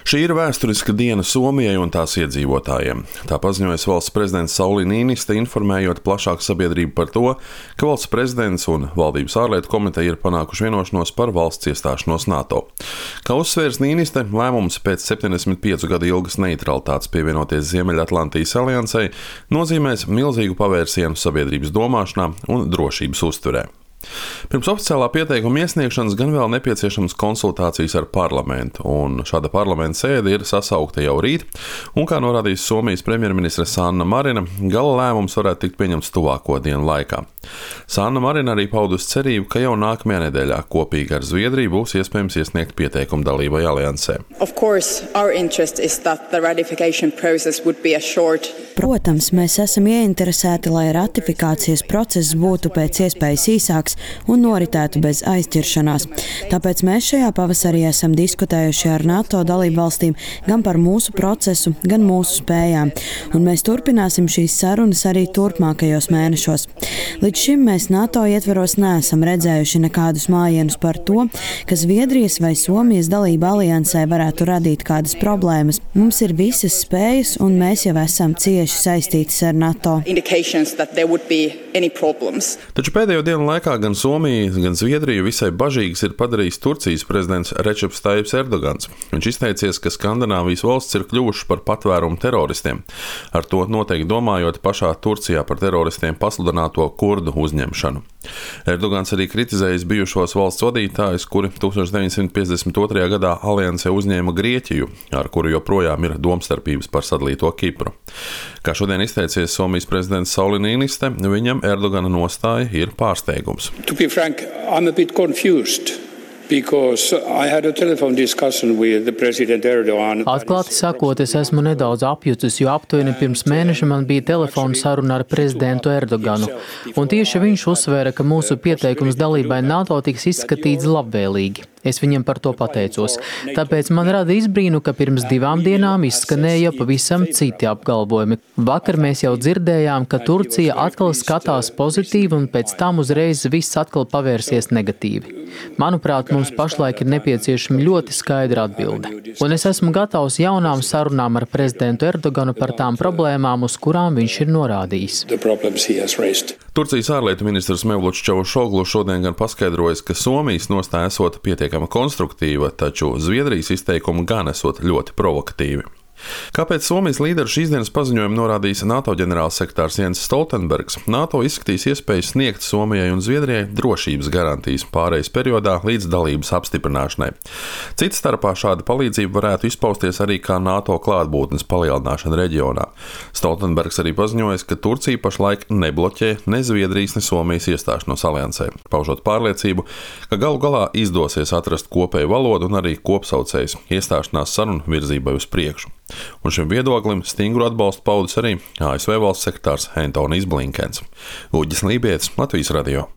Šī ir vēsturiska diena Somijai un tās iedzīvotājiem. Tā paziņojas valsts prezidents Sauli Niinistö, informējot plašāku sabiedrību par to, ka valsts prezidents un valdības ārlietu komiteja ir panākuši vienošanos par valsts iestāšanos NATO. Kā uzsvērs Niinistö, lēmums pēc 75 gadu ilgas neitralitātes pievienoties Ziemeļatlantijas aliansei nozīmēs milzīgu pavērsienu sabiedrības domāšanā un drošības uztverē. Pirms oficiālā pieteikuma iesniegšanas gan vēl nepieciešamas konsultācijas ar parlamentu, un šāda parlamenta sēde ir sasaukta jau rīt, un, kā norādījis Somijas premjerministre Sanna Marina, gala lēmums varētu tikt pieņemts tuvāko dienu laikā. Sanna Marina arī paudusi cerību, ka jau nākamajā nedēļā kopīgi ar Zviedriju būs iespējams iesniegt pieteikumu dalībai aliansē. Protams, mēs esam ieinteresēti, lai ratifikācijas process būtu pēc iespējas īsāks un noritētu bez aizķiršanās. Tāpēc mēs šajā pavasarī esam diskutējuši ar NATO dalību valstīm gan par mūsu procesu, gan mūsu spējām, un mēs turpināsim šīs sarunas arī turpmākajos mēnešos. Līdz šim mēs NATO ietveros neesam redzējuši nekādus mājienus par to, ka Zviedrijas vai Somijas dalība aliansē varētu radīt kādas problēmas. Mums ir visas spējas, un mēs jau esam cieši saistītas ar NATO. Taču pēdējo dienu laikā gan Somija, gan Zviedrija visai bažīgas ir padarījis Turcijas prezidents Rečeps Tajjips Erdogans. Viņš izteicies, ka Skandināvijas valsts ir kļuvušas par patvērumu teroristiem, ar to noteikti domājot pašā Turcijā par teroristiem pasludināto kurdu uzņemšanu. Erdogans arī kritizējis bijušos valsts vadītājus, kuri 1952. gadā aliansē uzņēma Grieķiju, ar kuru joprojām ir domstarpības par sadalīto Kipru. Kā šodien izteicies Somijas prezidents Sauli Niinistö, viņam Erdogana nostāja ir pārsteigums. To be frank, I'm a bit confused. Atklāti sakot, es esmu nedaudz apjucis, jo aptuveni pirms mēneša man bija telefona saruna ar prezidentu Erdoganu. Un tieši viņš uzsvēra, ka mūsu pieteikums dalībai NATO tiks izskatīts labvēlīgi. Es viņam par to pateicos. Tāpēc man rada izbrīnu, ka pirms 2 dienām izskanēja pavisam citi apgalvojumi. Vakar mēs jau dzirdējām, ka Turcija atkal skatās pozitīvi un pēc tam uzreiz viss atkal pavērsies negatīvi. Manuprāt, mums pašlaik ir nepieciešama ļoti skaidra atbilde. Un es esmu gatavs jaunām sarunām ar prezidentu Erdoganu par tām problēmām, uz kurām viņš ir norādījis. Turcijas ārlietu ministrs Mevluts Čavušoglu šodien gan paskaidrojas, ka Somijas nostāja esot pietiekami konstruktīva, taču Zviedrijas izteikumi gan esot ļoti provokatīvi. Kāpēc Somijas līderu šīs dienas paziņojumu norādījis NATO ģenerālsekretārs Jens Stoltenbergs, NATO izskatīs iespēju sniegt Somijai un Zviedrijai drošības garantijas pārejas periodā līdz dalības apstiprināšanai. Cits starpā šāda palīdzība varētu izpausties arī kā NATO klātbūtnes palielināšana reģionā. Stoltenbergs arī paziņojas, ka Turcija pašlaik nebloķē ne Zviedrijas, ne Somijas iestāšanos aliansē, paužot pārliecību, ka galu galā izdosies atrast kopēju valodu un arī kopsaucējus iestāšanās sarunu virzībai uz priekšu. Un šim viedoklim stingru atbalstu paudis arī ASV valsts sekretārs Antonijs Blinkens. Uģis Lībietis, Latvijas radio.